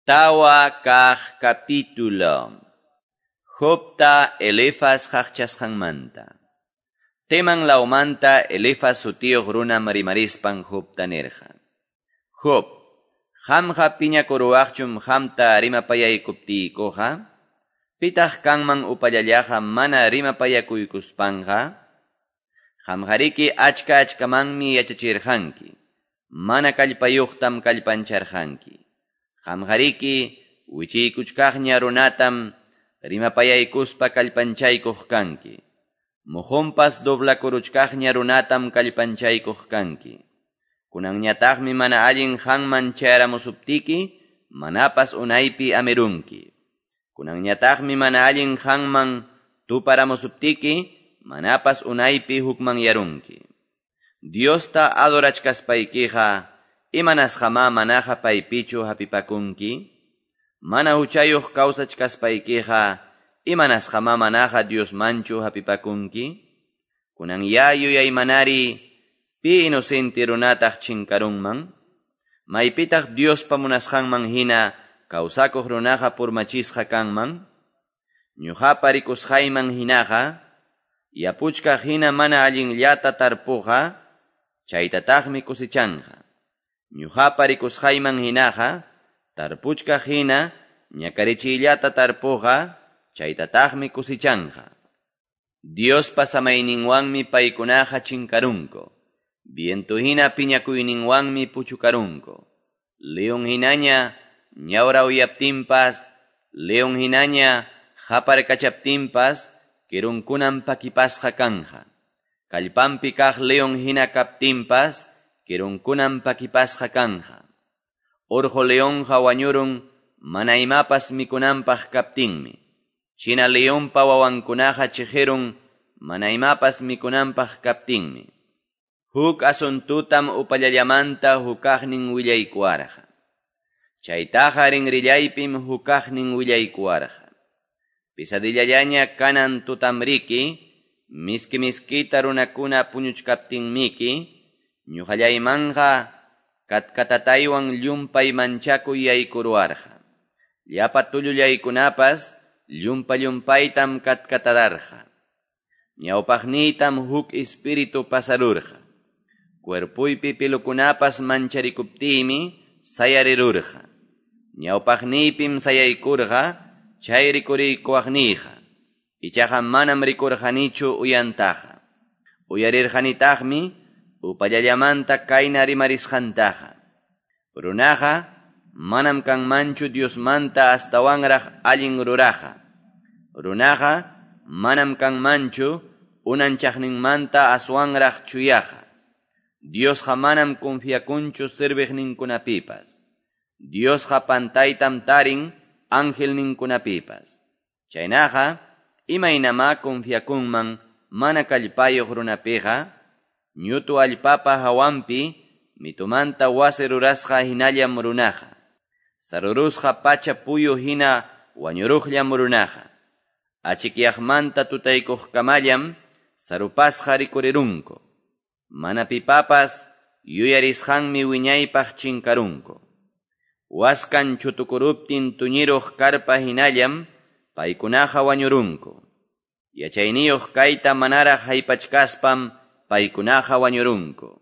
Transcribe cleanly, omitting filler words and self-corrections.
4 kaq capítulo. Jobta Elifaz qaqchasqanmanta. Teman lawmanta Elifaz sutiyuq runam rimarispan Jobta nirqa: Job, qamqa piñakuruwaqchum qamta rimapayaykuptiykuqa? Pitaq kanman upallallaqa mana rimapayakuykuspanqa? Qamqariki achka-achkamanmi yachachirqanki, mana kallpayuqtam kallpancharqanki. Qamqariki wichiykuchkaqña runatam rimapayaykuspa kallpanchaykuq kanki. Mujunpas doblakuruchkaqña runatam kallpanchaykuq kanki. Kunanñataqmi mana allin qanman chayaramusuptiki, manapas unaypi amirunki. Kunanñataqmi mana allin qanman tuparamusuptiki, manapas unaypi hukmanyarunki. Diosta adorachkaspaykiqa, imanasqamá manaqa paypichu hapipakunki? Mana huchayuq kawsachkaspaykiqa, imanasqamá manaqa Diosmanchu hapipakunki? Kunan ya yuyaymanari, pi inocente runataq chinkarunman? Maypitaq Diospa munasqanman hina kawsakuq runaqa purmachisqa kanman? Ñuqapa rikusqayman hinaqa, yapuchkaq hina mana allinllata tarpuqa, chaytataqmi kusichanqa. Ñuqapa rikusqayman hinaqa, tarpuchkaq hina ñakarichiyllata tarpuqa, chaytataqmi kusichanqa. Diospa samayninwanmi paykunaqa chinkarunku. Viento hina piñakuyninwanmi puchukarunku. León hinaña ñawrawyaptinpas, león hinaña qaparkachaptinpas, kirunkunam pakipasqa kanja. Kallpanpi kaq león hina kaptinpas, kirunkunam pakipasqa kanja. Urqu leonqa wañurun mana imapas mikunanpaq kaptinmi. China leonpa wawankunaqa chiqirun mana imapas mikunanpaq kaptinmi. Huk asuntutam upallallamanta hukaqnin willaykuwarqa. Chaytaqa rinrillaypim hukaqnin willaykuwarqa. Pesadillallaña kanan tutamriki, miski miskita runakuna puñuchkaptinmiki, ñuqallaymanqa katkatataywan llumpay manchakuy yaykuruwarqa. Llapa tullullaykunapas llumpa-llumpaytam katkatadarqa. Ñawpaqniytam huk espíritu pasarurqa. Cuerpuypi pilukunapas mancharikuptiymi sayarirurqa. Ñawpaqniypim sayaykurqa chay rikuriykuwaqniyqa. Ichaqa manam rikurqanichu uyantaqa. Uyarirqanitaqmi upallallamanta kayna rimarisqantaqa. Runaqa manam kanmanchu Diosmanta astawanraq allin ruraqa. Runaqa manam kanmanchu unanchaqninmanta aswanraq chuyaqa. Diosqa manam confiakunchu serviqninkunapipas. Diosqa pantaytam tarin angelninkunapipas. Chaynaqa, imaynamá confiakunman mana kallpayuq runapiqa? Ñutu allpapa hawanpi mitumanta wasi rurasqa hinallam runaqa. Sarurusqa pacha puyu hina wañuruqllam runaqa. Achikyaqmanta tutaykuqkamallam sarupasqa rikurirunku. Mana pipapas yuyarisqanmi wiñaypaq chinkarunku. Waskan chutukuruptin tuñiruq karpa hinallam paykunaqa wañurunku. Yachayniyuq kayta manaraq haypachkaspam paykunaqa wañurunku.